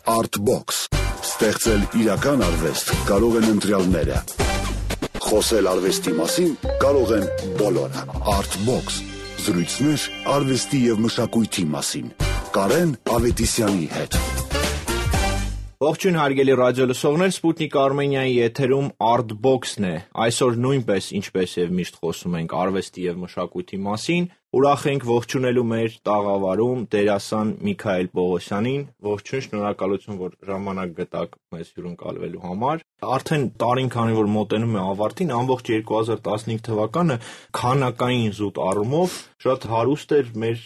Artbox. Ստեղծել իրական արվեստ կարող են ընտրյալները։ Խոսել արվեստի մասին կարող են բոլորը։ Artbox. Զրույցներ արվեստի և մշակույթի մասին։ Կարեն Ավետիսյանի հետ։ Ողջույն հարգելի ռադիոլսողներ, Սպուտնիկ Արմենիայի եթերում Artbox-ն է։ Այսօր նույնպես, ինչպես եւ միշտ խոսում ենք արվեստի եւ մշակույթի մասին, ուրախ ենք ողջունելու մեր տաղավարում դերասան Միքայել Պողոսյանին։ Ողջույն, շնորհակալություն, որ ժամանակ գտաք մեզ հյուրընկալվելու համար։ Արդեն տարին քանի որ մոտենում է ավարտին, ամբողջ 2015 թվականը քանակային զուտ առումով շատ հարուստ էր մեր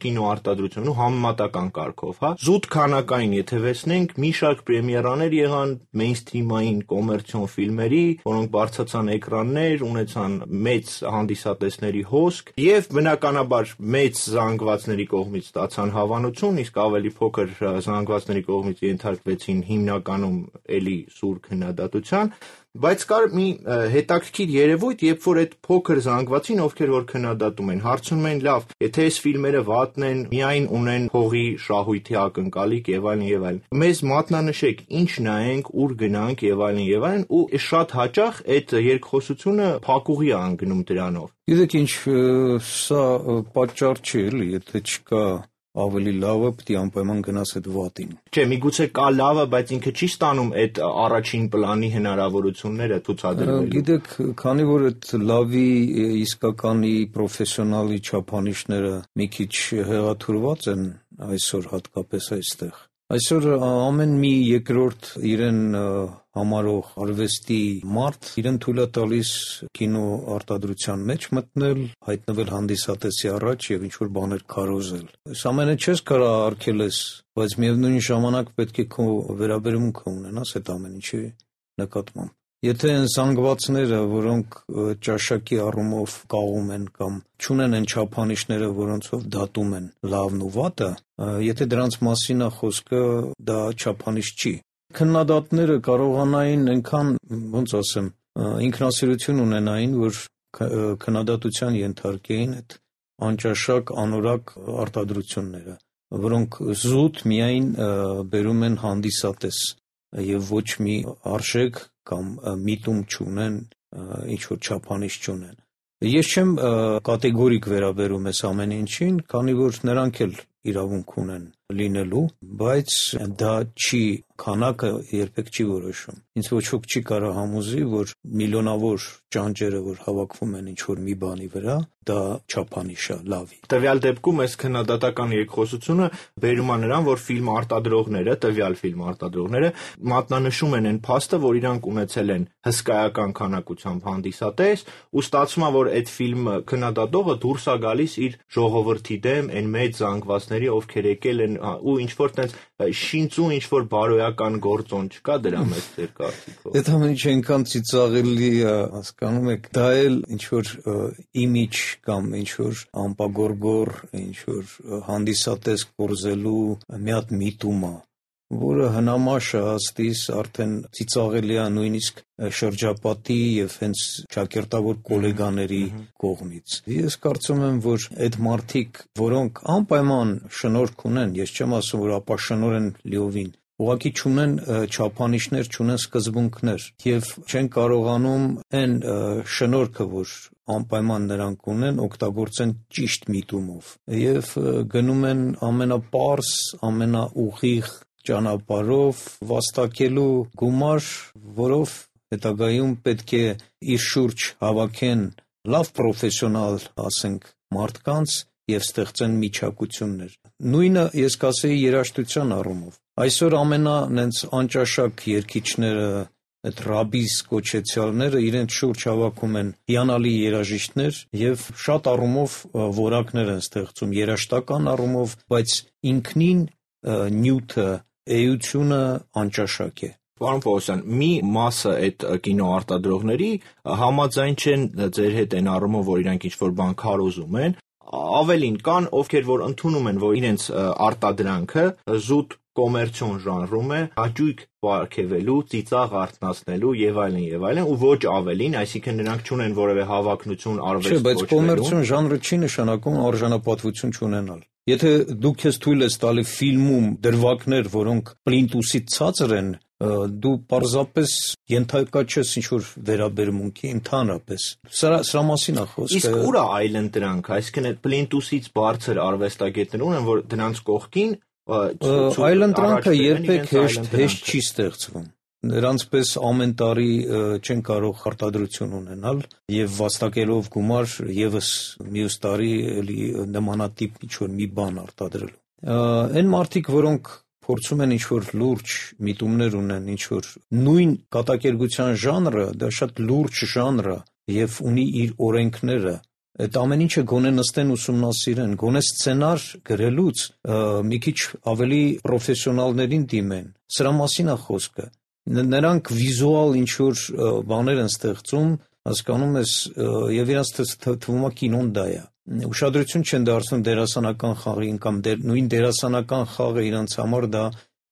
կինոարտադրությունն ու համեմատական կարգով, հա։ Զուտ քանակային եթե վերցնենք, մի շարք պրեմիերաներ եղան մեյնսթրիմային կոմերցիոն ֆիլմերի, որոնք բարձրացան էկրաններ, ունեցան մեծ հանդիսատեսների հոսք եւ բնականաբար մեծ զանգվածների կողմից ստացան հավանություն, իսկ ավելի փոքր զանգվածների կողմից ենթարկվեցին հիմնականում էլի սուր քննադատության, բայց կար մի հետաքրքիր երևույթ, երբ որ այդ փոքր զանգվածին, ովքեր որ քննադատում են, հարցնում են, լավ, եթե այս ֆիլմերը վատն են, միայն ունեն փողի շահույթի ակնկալիք եւ այլն եւ այլն։ Մեզ մատնանշեք, ինչ նայենք, ուր գնանք եւ այլն, ու շատ հաճախ այդ երկխոսությունը փակուղի է անգնում դրանով։ Գիտեք ինչ, սա պատճառ չի, էլի, եթե չկա ավելի լավը, պետք է անպայման գնաս այդ վատին։ Չէ, միգուցե կա լավը, բայց ինքը չի ստանում այդ առաջին պլանի հնարավորությունները ցուցադրելու։ Գիտեք, քանի որ այդ լավի իսկականի պրոֆեսիոնալի չափանիշները մի քիչ հեղաթուրված են այսօր հատկապես այստեղ։ Այսօր ամեն մի երկրորդ իրեն համարող արվեստի մարդ իրեն թույլ է տալիս կինոարտադրության մեջ մտնել, հայտնվել հանդիսատեսի առաջ եւ ինչ-որ բաներ քարոզել։ Այս ամենը չես կարա արգելես, բայց միևնույն ժամանակ պետք է քո վերաբերմունքը ունենաս այդ ամեն ինչի նկատմամբ։ Եթե այն զանգվածները, որոնք ճաշակի առումով կաղում են կամ չունեն այն չափանիշները, որոնցով դատում են լավն ու վատը, եթե դրանց մասին է խոսքը, դա չափանիշ չի։ Քննադատները կարողանային այնքան, ոնց ասեմ, ինքնասիրություն ունենային, որ քննադատության ենթարկեին այդ անճաշակ, անորակ արտադրությունները, որոնք զուտ միայն բերում են հանդիսատես եւ ոչ մի արժեք կամ միտում չունեն, ինչ-որ չափանիշ չունեն։ Ես չեմ կատեգորիկ վերաբերում ես ամեն ինչին, քանի որ նրանք էլ իրավունք ունեն լինելու, բայց դա չի, քանակը երբեք չի որոշում։ Ինձ ոչ ոք չի կարող համոզի, որ միլիոնավոր ճանճերը, որ հավաքվում են ինչ-որ մի բանի վրա, դա չափանիշ է լավի։ Տվյալ դեպքում այս քննադատական երկխոսությունը բերում է նրան, որ ֆիլմ արտադրողները, տվյալ ֆիլմ արտադրողները մատնանշում են այն փաստը, որ իրանք ունեցել են հսկայական քանակությամբ հանդիսատես, ու ստացվում է, որ այդ ֆիլմը քննադատողը դուրս է գալիս իր ժողովրդի դեմ, այն մեծ զանգվածների, ովքեր եկել են, ու ինչ-որ տենց շինծու ինչ-որ բարոյական գործոն չկա դրա մեջ ձեր կարծիքով։ Այդ ամեն ինչ այնքան ծիծաղելի է, հասկանում եք, դա էլ ինչ-որ իմիջ կամ ինչ-որ ամպագորգոր, ինչ-որ հանդիսատես կորզելու մի հատ միտում է, որը հնամաշ է աստիս արդեն ծիծաղելի է նույնիսկ շրջապատի եւ հենց ճակերտավոր գոլեգաների կողմից։ Ես կարծում եմ, որ այդ մարդիկ, որոնք անպայման շնորհք ունեն, ես չեմ ասում, որ ապաշնոր են լիովին, ուղղակի չունեն չափանիշներ, չունեն սկզբունքներ եւ չեն կարողանում այն շնորհքը, որ անպայման նրանք ունեն, օգտագործեն ճիշտ միտումով եւ գնում են ամենապարզ, ամենաուղիղ ճանապարհով վաստակելու գումար, որով հետագայում պետք է իր շուրջ հավաքեն լավ պրոֆեսիոնալ, ասենք, մարդկանց եւ ստեղծեն միջակություններ։ Նույնը ես կասեի երաժշտության առումով։ Այսօր նենց անճաշակ երգիչները, այդ ռաբիս կոչեցյալները իրենց շուրջ հավաքում են հիանալի երաժիշտներ եւ շատ առումով որակներ են ստեղծում երաժշտական առումով, բայց ինքնին նյութը, էությունը անճաշակ է։ Պարոն Պողոսյան, մի մասը այդ կինոարտադրողների համաձայն չեն ձեր հետ այն առումով, որ իրանք ինչ-որ բան քարոզում են, ավելին կան, ովքեր որ ընդունում են, որ իրենց արտադրանքը զուտ կոմերցիոն ժանրում է, հաճույք պարգևելու, ծիծաղ արթնացնելու եւ այլն, ու ոչ ավելին, այսինքն նրանք չունեն որևէ հավակնություն արվեստ ոչ։ Չէ, բայց կոմերցիոն ժանրը չի նշանակում արժանապատվություն չունենալ։ Եթե դու քեզ թույլ ես տալի ֆիլմում դրվագներ, որոնք պլինտուսից ցածր են, դու պարզապես ենթակա չես ինչ-որ վերաբերմունքի ընդհանրապես։ Սրա մասին է խոսքը։ Իսկ ուր է այլընտրանք, այսինքն այդ պլինտուսից բարձր արվեստագետներ ունեն, որ դրանց կողքին այլընտրանքը երբեք հեշտ չի ստեղծվում։ Նրանց պես ամեն տարի չեն կարող արտադրություն ունենալ եւ վաստակելով գումար եւս մյուս տարի էլի նմանատիպ ինչ-որ մի բան արտադրելու։ Այն մարդիկ, որոնք փորձում են ինչ-որ լուրջ միտումներ ունեն, ինչ-որ նույն կատակերգության ժանրը, դա շատ լուրջ ժանր է եւ ունի իր օրենքները։ Այդ ամեն ինչը գոնե նստեն ուսումնասիրեն, գոնե սցենար գրելուց մի քիչ ավելի պրոֆեսիոնալներին դիմեն։ Սրա մասին է խոսքը։ Նրանք վիզուալ ինչ-որ բաներ են ստեղծում, հասկանում ես, եւ իրանց թվում է կինոն դա է։ Ուշադրություն չեն դարձնում դերասանական խաղին կամ նույն դերասանական խաղը իրանց համար դա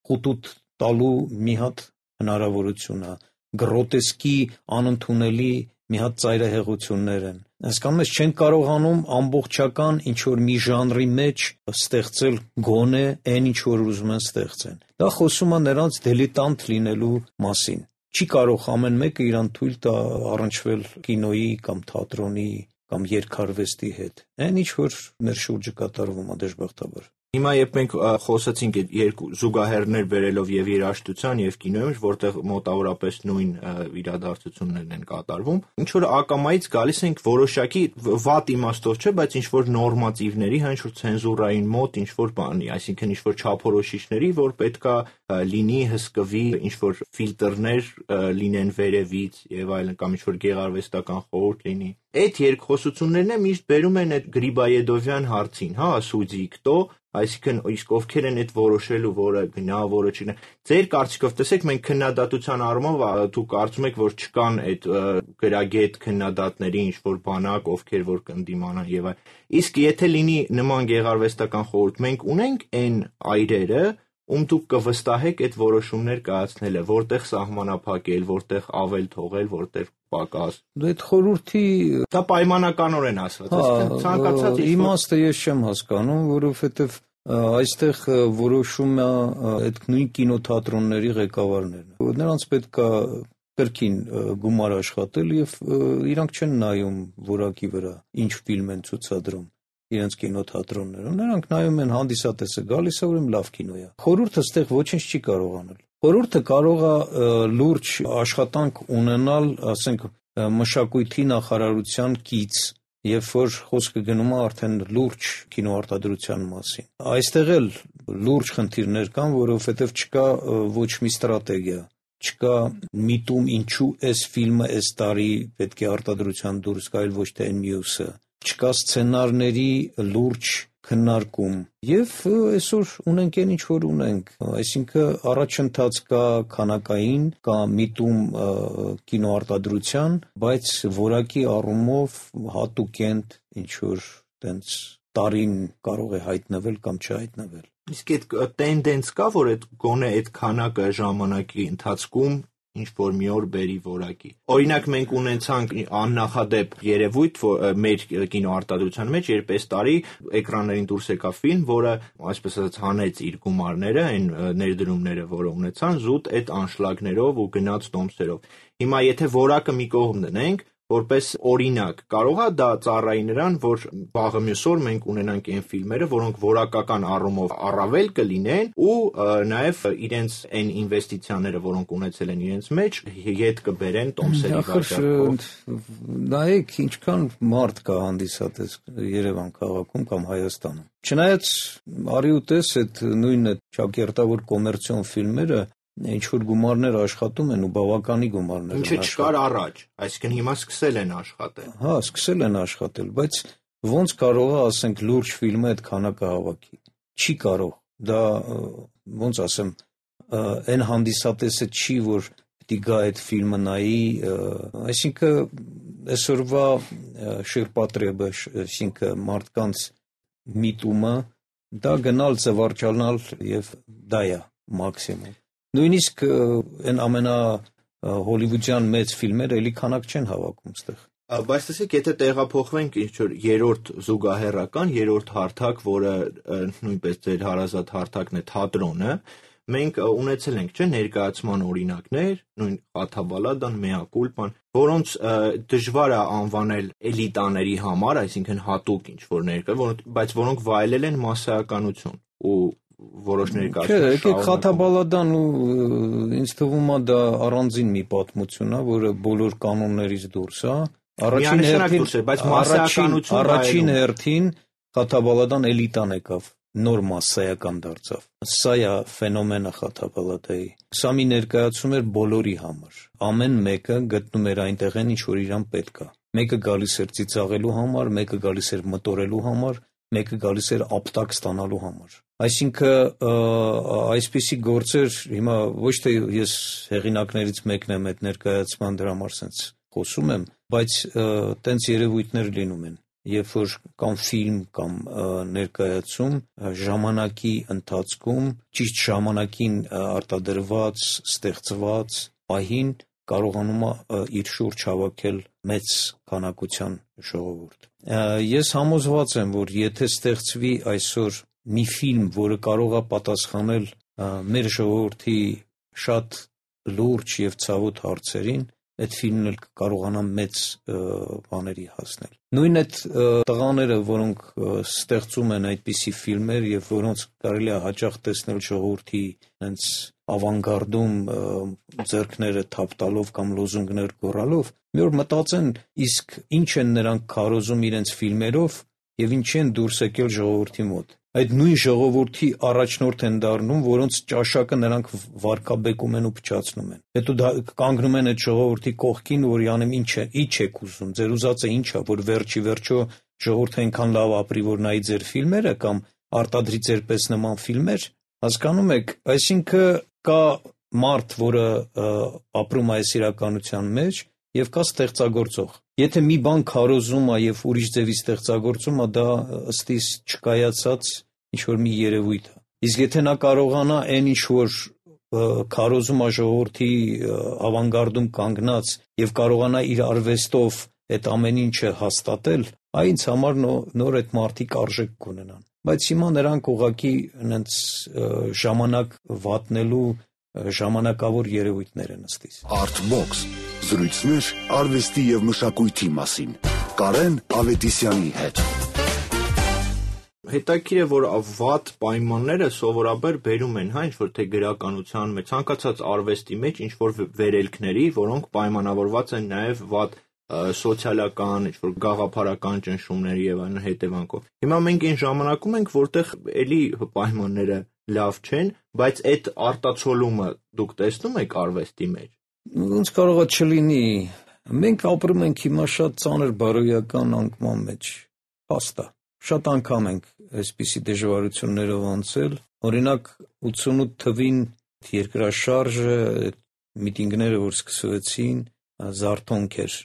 խուտուտ տալու մի հատ հնարավորություն է, գրոտեսկի անընդունելի մի հատ ծայրահեղություններ են։ Հասկանում ես, չեն կարողանում ամբողջական ինչ-որ մի ժանրի մեջ ստեղծել գոնե այն ինչ որ ուզում են ստեղծեն։ Դա խոսում է նրանց դիլետանտ լինելու մասին։ Չի կարող ամեն մեկը իրան թույլ տա առնչվել կինոյի կամ թատրոնի կամ երգարվեստի հետ։ Այն ինչ որ մեր շուրջը կատարվում է դժբախտաբար։ Հիմա երբ մենք խոսացինք այդ երկու զուգահեռներ բերելով եւ երաժշտության եւ կինոյի, որտեղ մոտավորապես նույն իրադարձություններն են կատարվում, ինչ որ ակամայից գալիս ենք որոշակի վատ իմաստով չէ, բայց ինչ որ նորմատիվների, ինչ որ ցենզուրային մոտ, ինչ որ բանի, այսինքն ինչ որ չափորոշիչների, որ պետքա լինի հսկվի, ինչ որ ֆիլտրներ լինեն վերևից եւ այլն, կամ ինչ որ գեղարվեստական խորհուրդ լինի։ Այդ երկխոսություններն է միշտ բերում են այդ Գրիբայեդովյան հարցին, հա, սուդի կտո, այսինքն իսկ ովքեր են այդ որոշելու, որը գնա, որը չգնա։ Ձեր կարծիքով տեսեք, մենք քննադատության առումով դուք կարծում եք, որ չկան այդ գրագետ քննադատների ինչ որ բանակ, ովքեր որ կընդդիմանան եւ այլ։ Իսկ եթե լինի նման գեղարվեստական խորհուրդ, մենք ունենք այն այրերը, դուք կվստահեք այդ որոշումներ կայացնելը, որտեղ սահմանափակել, որտեղ ավել թողել, որտեղ պակաս։ Այդ խորհրդի դա պայմանականորեն ասված, այսինքն ցանկացած իմաստը ես չեմ հասկանում, որովհետև այստեղ որոշում է այդ նույն կինոթատրոնների ղեկավարներն։ Նրանց պետք է կրկին գումար աշխատել եւ իրանք չեն նայում որակի վրա, ինչ ֆիլմ են ցուցադրում իրենց կինոթատրոններում, նրանք նայում են հանդիսատեսը գալիս է, ուրեմն լավ կինո է։ Խորհուրդը այստեղ ոչինչ չի կարող անել։ Խորհուրդը կարող է լուրջ աշխատանք ունենալ, ասենք, մշակույթի նախարարության կից, երբ որ խոսքը գնում է արդեն լուրջ կինոարտադրության մասին։ Այստեղ էլ լուրջ խնդիրներ կան, որովհետև չկա ոչ մի ստրատեգիա, չկա միտում ինչու այս ֆիլմը այս տարի պետք է արտադրության դուրս գա, այլ ոչ թե այն մյուսը։ Չկա սցենարների լուրջ քննարկում եւ այսօր ունենք այն ինչ որ ունենք, այսինքն առաջընթաց կա քանակային, կա միտում կինոարտադրության, բայց որակի առումով հատուկենտ ինչ որ տենց տարին կարող է հայտնվել կամ չհայտնվել։ Իսկ այդ տենդենս կա, որ այդ գոնե այդ քանակը ժամանակի ընթացքում ինչ որ մի օր բերի որակի։ Օրինակ մենք ունեցանք աննախադեպ երևույթ մեր կինոարտադրության մեջ, երբ այս տարի էկրաններին դուրս եկավ ֆիլմ, որը այսպես ասած հանեց իր գումարները, այն ներդրումները, որը ունեցան, զուտ այդ անշլագներով ու գնաց տոմսերով։ Հիմա եթե որակը մի կողմ դնենք, որպես օրինակ, կարող է դա ծառայի նրան, որ վաղը մյուս օր մենք ունենանք այն ֆիլմերը, որոնք որակական առումով առավել կլինեն ու նաև իրենց այն ինվեստիցիաները, որոնք ունեցել են իրենց մեջ, հետ կբերեն տոմսերի վաճառքով։ Նայեք, ինչքան մարդ կա հանդիսատես Երևան քաղաքում կամ Հայաստանում։ Չնայած արի ու տես այդ նույն ճակերտավոր կոմերցիոն ֆիլմերը ինչ որ գումարներ աշխատում են ու բավականի գումարներ։ Ինչը չկար առաջ, այսինքն հիմա սկսել են աշխատել։ Հա, սկսել են աշխատել, բայց ոնց կարող է, ասենք, լուրջ ֆիլմը այդ քանակը հավաքի։ Չի կարող։ Դա ոնց ասեմ, այն հանդիսատեսը չի, որ պիտի գա այդ ֆիլմը նայի, այսինքն այսօրվա շիրպատրեբը, այսինքն մարդկանց միտումը, դա գնալ զվարճանալ եւ դա է մաքսիմում։ Նույնիսկ այն ամենա հոլիվուդյան մեծ ֆիլմերը էլի քանակ չեն հավաքում այդտեղ։ Բայց տեսեք, եթե տեղափոխվենք ինչ-որ երրորդ զուգահեռական, երրորդ հարթակ, որը նույնպես ձեր հարազատ հարթակն է թատրոնը, մենք ունեցել ենք ներկայացման օրինակներ, նույն Խաթաբալադան, Mea Culpan, որոնց դժվար է անվանել էլիտաների համար, այսինքն հատուկ ինչ-որ ներկա, բայց որոնք վայելել են մասսայականություն ու որոշ ներկայացումներ։ Չէ, Խաթաբալադան ու ինձ թվում է դա առանձին մի պատմություն է, որը բոլոր կանոններից դուրս է։ Առաջին հերթին Խաթաբալադան էլիտան եկավ, նոր մասսայական դարձավ։ Սա է ֆենոմենը Խաթաբալադայի։ Սա մի ներկայացում էր բոլորի համար։ Ամեն մեկը գտնում էր այնտեղ ինչ որ իրան պետք է։ Մեկը գալիս էր ծիծաղելու համար, մեկը գալիս էր մտորելու համար, մեկը գալիս էր ապտակ ստանալու համար։ Այսինքն այսպիսի գործեր հիմա ոչ թե ես հեղինակներից մեկն եմ այդ ներկայացման դրա համար sense խոսում եմ, բայց տենց երևույթներ լինում են, երբ որ կամ ֆիլմ կամ ներկայացում ժամանակի ընթացքում ճիշտ ժամանակին արտադրված, ստեղծված պահին կարողանում է իր շուրջ հավաքել մեծ քանակության ժողովուրդ։ Ես համոզված եմ, որ եթե ստեղծվի այսօր մի ֆիլմ, որը կարող է պատասխանել մեր ժողովրդի շատ լուրջ եւ ցավոտ հարցերին, այդ ֆիլմն էլ կարողանա մեծ բաների հասնել։ Նույն այդ տղաները, որոնք ստեղծում են այդպիսի ֆիլմեր եւ որոնց կարելի է հաճախ տեսնել ժողովրդի հենց ավանգարդում ձեռքները թափ տալով կամ լոզունգներ գոռալով, մի օր մտածեն, իսկ ինչ են նրանք քարոզում իրենց ֆիլմերով եւ ինչ են դուրս եկել ժողովրդի մոտ։ Այդ նույն ժողովրդի առաջնորդ են դառնում, որոնց ճաշակը նրանք վարկաբեկում են ու փչացնում են։ Հետո կանգնում են այդ ժողովրդի կողքին, որ յանեմ ինչ եք ուզում, ձեր ուզածը ինչ է, որ վերջի վերջո ժողովուրդը այնքան լավ ապրի, որ նայի ձեր ֆիլմերը կամ արտադրի ձեր պես նման ֆիլմեր, հասկանում եք, այսինքն կա մարդ, որը ապրում է այս իրականության մեջ եւ կա ստեղծագործող։ Եթե մի բան քարոզում է եւ ուրիշ ձևի ստեղծագործում է, դա ըստիս չկայացած ինչ-որ մի երևույթ է։ Իսկ եթե նա կարողանա այն ինչ-որ քարոզում է ժողովրդի ավանգարդում կանգնած եւ կարողանա իր արվեստով այդ ամեն ինչը հաստատել, այնց համար նոր այդ մարդիկ արժեք կունենան։ Բայց հիմա նրանք ուղղակի հենց ժամանակ վատնելու ժամանակավոր երևույթներ են ըստիս։ Artbox զրույցներ արվեստի եւ մշակույթի մասին։ Կարեն Ավետիսյանի հետ։ Հետաքրքիր է, որ վատ պայմանները սովորաբար բերում են ինչ-որ թե գրականության մեջ, ցանկացած արվեստի մեջ ինչ-որ վերելքների, որոնք պայմանավորված են նաև վատ սոցիալական, ինչ-որ գաղափարական ճնշումների եւ այլն հետևանքով։ Հիմա մենք այն ժամանակում ենք, որտեղ էլի պայմանները լավ չեն, բայց այդ արտացոլումը դուք տեսնում եք արվեստի մեջ։ Ոնց կարող է չլինի։ Մենք ապրում ենք հիմա շատ ծանր բարոյական անկման մեջ։ Փաստա։ Շատ անգամ ենք այսպիսի դժվարություններով անցել։ Օրինակ 88 թվին երկրաշարժը, միտինգները, որ սկսվեցին, զարթոնք էր։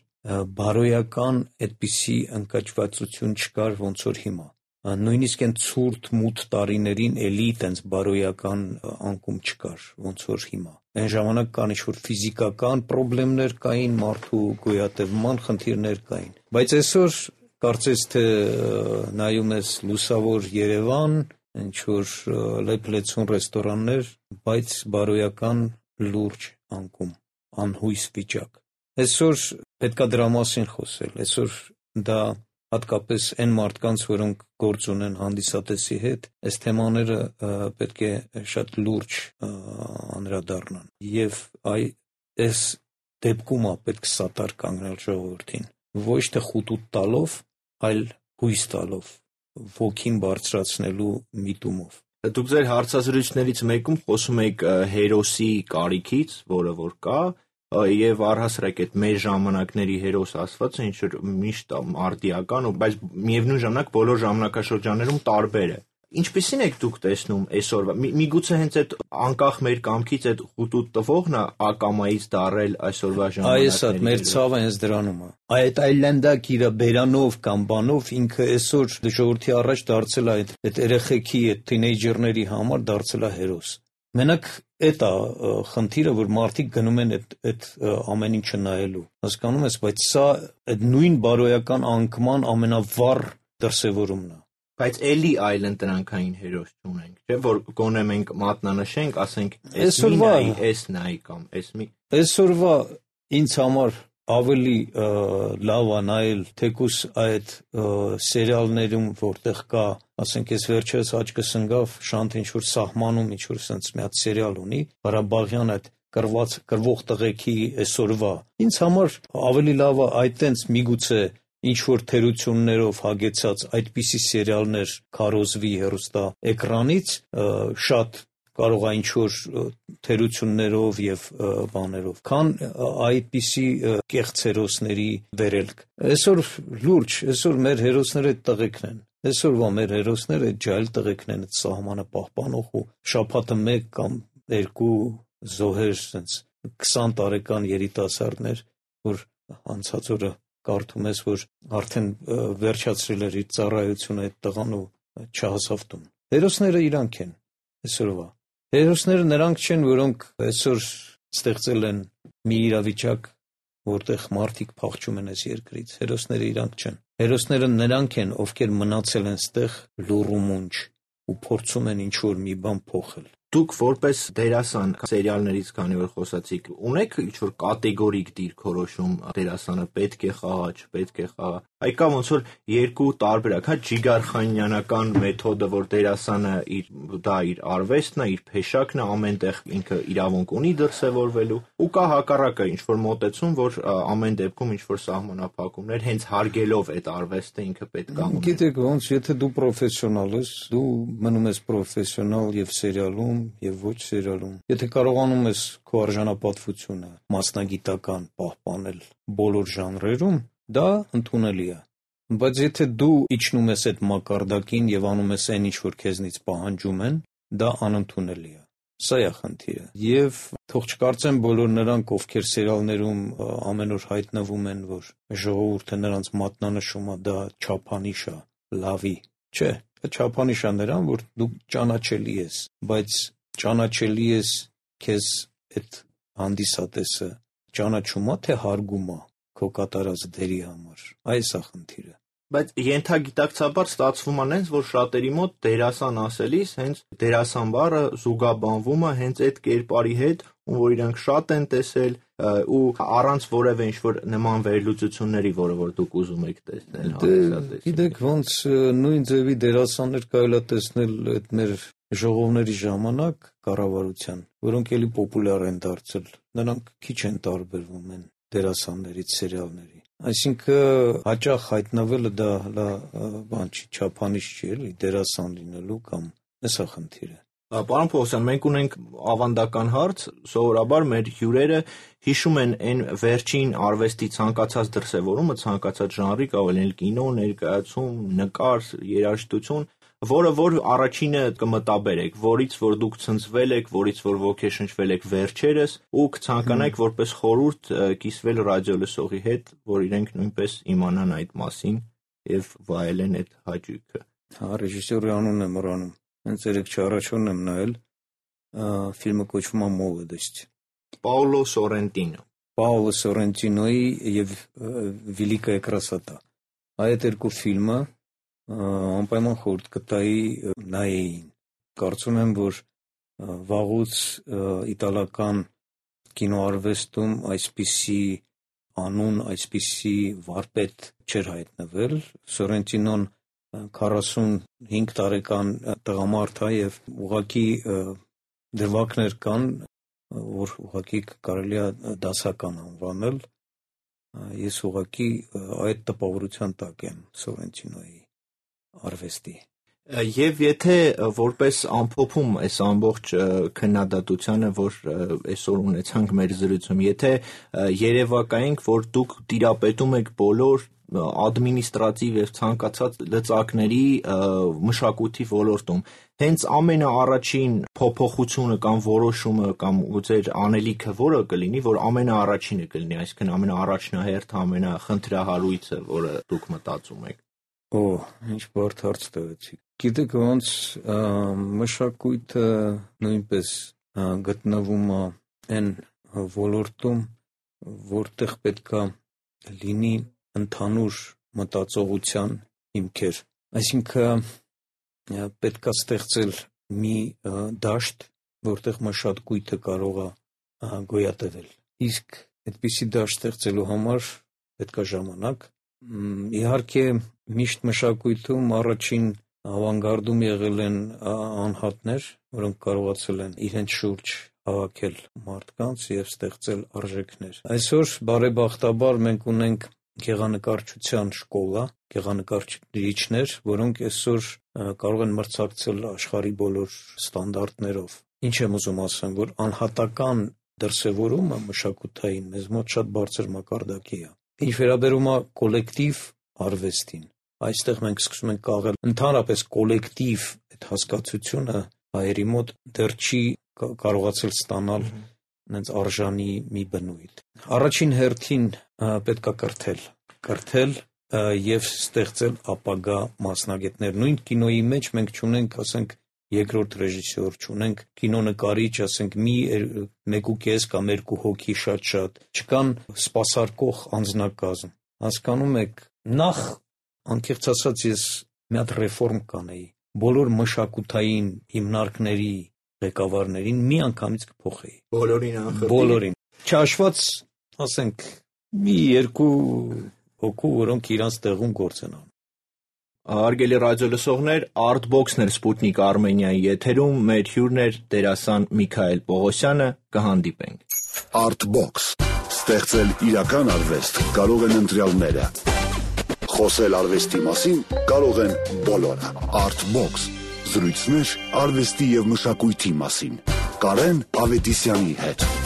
Բարոյական այդպիսի ընկճվածություն չկար, ոնց որ հիմա։ Նույնիսկ այն ցուրտ մութ տարիներին էլի տենց բարոյական անկում չկար, ոնց որ հիմա։ Այն ժամանակ կան ինչ-որ ֆիզիկական խնդիրներ կային, մարդու գոյատևման խնդիրներ կային։ Բայց այսօր կարծես թե նայում ես լուսավոր Երևան, ինչ-որ լեփլեցուն ռեստորաններ, բայց բարոյական լուրջ անկում, անհույս վիճակ։ Այսօր պետքա դրա մասին խոսել, այսօր դա հատկապես այն մարդկանց, որոնք գործ ունեն հանդիսատեսի հետ, այս թեմաները պետք է շատ լուրջ անդրադառնան։ Եվ այս դեպքում պետք է սատար կանգնել ժողովրդին, ոչ թե խուտուտ տալով, այլ հույս տալով, ոգին բարձրացնելու միտումով։ Դուք ձեր հարցազրույցներից մեկում խոսում եք հերոսի կարիքից, որը որ կա, եւ առհասարակ այդ մեր ժամանակների հերոս ասվածը ինչ որ միշտ արդիական, բայց միևնույն ժամանակ բոլոր ժամանակաշրջաններում տարբեր է։ Ինչպիսին եք դուք տեսնում այսօրվա։ Միգուցե հենց այդ անկախ մեր կամքից այդ խուտուտ տվողն է ակամայից դարել այսօրվա ժամանակներին։ Այս է մեր ցավը հենց դրանում է։ Այդ այլանդակ իր բերանով կամ բանով ինքը այսօր ժողովրդի առաջ դարձել է այդ երեխեքի, այդ թինեյջերների համար դարձել է հերոս։ Մենակ Էդ է խնդիրը, որ մարդիկ գնում են այդ ամեն ինչը նայելու։ Հասկանում ես, բայց սա այդ նույն բարոյական անկման ամենավառ դրսևորումն է։ Բայց էլի այլ ընտրանքային հերոս չունենք, չէ՞ որ գոնե մենք մատնանշենք, ասենք, էս մի նայի, էս նայի կամ էս մի։ Այսօրվա ինձ համար ավելի լավ է նայել թեկուս այդ սերիալներում, որտեղ կա, ասենք, ես վերջերս աչքս ընկավ Շանթ ինչ-որ սահմանում ինչ-որ sense մի հատ սերիալ ունի, Ղարաբաղյան այդ կռվող տղեկի այսօրվա։ Ինձ համար ավելի լավ է այդ տենց միգուցե ինչ-որ թերություններով հագեցած այդպիսի սերիալներ քարոզվի հեռուստա էկրանից, շատ կարող է ինչ-որ թերություններով եւ բաներով, քան այդպիսի կեղծ հերոսների վերելք։ Այսօր լուրջ, այսօր մեր հերոսները տղեկն են։ Այսօրվա մեր հերոսները ջայլ տղեկն են, սահմանը պահպանող ու շաբաթը 1 կամ 2 զոհեր, sense 20 տարեկան երիտասարդներ, որ անցած օրը կարդում ես, որ արդեն վերջացրել էր իր ծառայությունը այդ տղան ու չհասավ տուն։ Հերոսները իրանք են այսօրվա։ Հերոսները նրանք չեն, որոնք այսօր ստեղծել են մի իրավիճակ, որտեղ մարդիկ փախչում են այս երկրից։ Հերոսները իրանք չեն։ Հերոսները նրանք են, ովքեր մնացել են ստեղ լուռ ու մունջ ու փորձում են ինչ-որ մի բան փոխել։ Դուք որպես դերասան սերիալներից, քանի որ խոսացիք, ունեք ինչ-որ կատեգորիկ դիրքորոշում դերասանը պետք է խաղա, չպետք է խաղա։ Այ կա ոնց որ երկու տարբերակ, հա Ջիգարխանյանական մեթոդը, որ դերասանը իր արվեստն է, իր փեշակն է, ամենտեղ ինքը իրավունք ունի դրսևորվելու, ու կա հակառակը, ինչ-որ մոտեցում, որ ամեն դեպքում ինչ-որ սահմանափակումներ, հենց հարգելով այդ արվեստը ինքը պետք է ունենա։ Գիտեք ոնց, եթե դու պրոֆեսիոնալ ես, դու մնում ես պրոֆեսիոնալ եւ սերիալում եւ ոչ սերիալում։ Եթե կարողանում ես քո արժանապատվությունը մասնագիտական պահպանել բոլոր ժանրերում, դա ընդունելի է։ Բայց եթե դու իջնում ես այդ մակարդակին եւ անում ես այն ինչ որ քեզնից պահանջում են, դա անընդունելի է։ Սա է խնդիրը։ Եվ թող չկարծեն բոլոր նրանք, ովքեր սերիալներում ամեն օր հայտնվում են, որ ժողովուրդը նրանց մատնանշում է, դա չափանիշ է, լավի։ Չէ, չափանիշ է նրան, որ դու ճանաչելի ես, բայց ճանաչելի ես քեզ այդ հանդիսատեսը ճանաչում է, թե հարգում է քո կատարած դերի համար։ Այս է խնդիրը։ Բայց ենթագիտակցաբար ստացվում է հենց, որ շատերի մոտ դերասան ասելիս հենց դերասան բառը զուգաբանվում է հենց այդ կերպարի հետ, որ իրանք շատ են տեսել ու առանց որևէ ինչ-որ նման վերլուծությունների, որ դուք ուզում եք տեսնել հանդիսատեսին։ Գիտեք, ոնց նույն ձևի դերասաններ կարելի է տեսնել այդ մեր ժողովների ժամանակ կառավարության, որոնք էլի պոպուլյար են դարձել, նրանք քիչ են տարբերվում են դերասաններից սերիալների։ Այսինքն հաճախ հայտնվելը դա բան չի, չափանիշ չի էլի դերասան լինելու կամ էսա խնդիրը։ Պարոն Պողոսյան, մենք ունենք ավանդական հարց, սովորաբար մեր հյուրերը հիշում են այն վերջին արվեստի ցանկացած դրսևորումը, ցանկացած ժանրի, կարող է կինո, ներկայացում, նկար, երաժշտություն, որ առաջինը կմտաբերեք, որից որ դուք ցնցվել եք, որից որ ոգեշնչվել եք վերջերս ու կցանկանայիք որպես խորհուրդ կիսվել ռադիոլսողի հետ, որ իրենք նույնպես իմանան այդ մասին եւ վայելեն այդ հաճույքը։ Հա, ռեժիսորի անունն եմ մոռանում։ Հենց երեք չառաջորն եմ նայել, ֆիլմը կոչվում է «Մոլոդость»։ Պաոլո Սորենտինո։ Պաոլո Սորենտինոյի եւ Վիլիկայա Կրասոտա։ Այդ երկու ֆիլմը անպայման խորհուրդ կտայի նայեին։ Կարծում եմ, որ վաղուց իտալական կինոարվեստում այսպիսի անուն, այսպիսի վարպետ չէր հայտնվել։ Սորենտինոն 45 տարեկան տղամարդ է եւ ուղղակի դրվագներ կան, որ ուղղակի կարելի է դասական անվանել։ Ես ուղղակի այդ տպավորության տակ եմ Սորենտինոյի արվեստի։ Եվ եթե որպես ամփոփում այս ամբողջ քննադատությանը, որ այսօր ունեցանք մեր զրույցում, եթե երևակայենք, որ դուք տիրապետում եք բոլոր ադմինիստրատիվ եւ ցանկացած լծակների մշակույթի ոլորտում, հենց ամենաառաջին փոփոխությունը կամ որոշումը կամ ձեր անելիքը որը կլինի, որ ամենաառաջինը կլինի, այսինքն ամենաառաջնահերթը, ամենախնդրահարույցը, որը դուք մտածում եք։ Ինչ բարդ հարց տվեցիք։ Գիտեք, ոնց մշակույթը նույնպես գտնվում է այն ոլորտում, որտեղ պետքա լինի ընդհանուր մտածողության հիմքեր, այսինքն պետքա ստեղծել մի դաշտ, որտեղ մշակույթը կարող է գոյատևել, իսկ այդպիսի դաշտ ստեղծելու համար պետքա ժամանակ, իհարկե միշտ մշակույթում առաջին ավանգարդում եղել են անհատներ, որոնք կարողացել են իրենց շուրջ հավաքել մարդկանց եւ ստեղծել արժեքներ, այսօր բարեբախտաբար մենք ունենք գեղանկարչության շկոլա, գեղանկարիչներ, որոնք այսօր կարող են մրցակցել աշխարհի բոլոր ստանդարտներով, ինչ եմ ուզում ասեմ, որ անհատական դրսևորումը մշակութային մեզ մոտ շատ բարձր մակարդակի է, ինչ վերաբերում է կոլեկտիվ արվեստին, այստեղ մենք սկսում ենք կաղել ընդհանրապես կոլեկտիվ այդ հասկացությունը հայերի մոտ դեռ չի կարողացել ստանալ նենց արժանի մի բնույթ, առաջին հերթին պետքա կրթել եւ ստեղծել ապագա մասնագետներ, նույն կինոյի մեջ մենք չունենք, ասենք, երկրորդ ռեժիսոր, չունենք կինոնկարիչ, ասենք, 1.5 կամ 2 հոգի շատ, չկան սպասարկող անձնակազմ, հասկանում եք, նախ անկեղծ ասած ես մի հատ ռեֆորմ կանեի, բոլոր մշակութային հիմնարկների ղեկավարներին մի անգամից կփոխեի, բոլորին, չհաշված, ասենք, մի 2 հոգու, որոնք իրանց տեղում գործ են անում։ Հարգելի ռադիոլսողներ, Artbox-ն էր Sputnik Armenia-ի եթերում, մեր հյուրն էր դերասան Միքայել Պողոսյանը, կհանդիպենք։ Artbox. Ստեղծել իրական արվեստ կարող են ընտրյալները։ Խոսել արվեստի մասին կարող են բոլորը։ Artbox. Զրույցներ արվեստի եւ մշակույթի մասին։ Կարեն Ավետիսյանի հետ։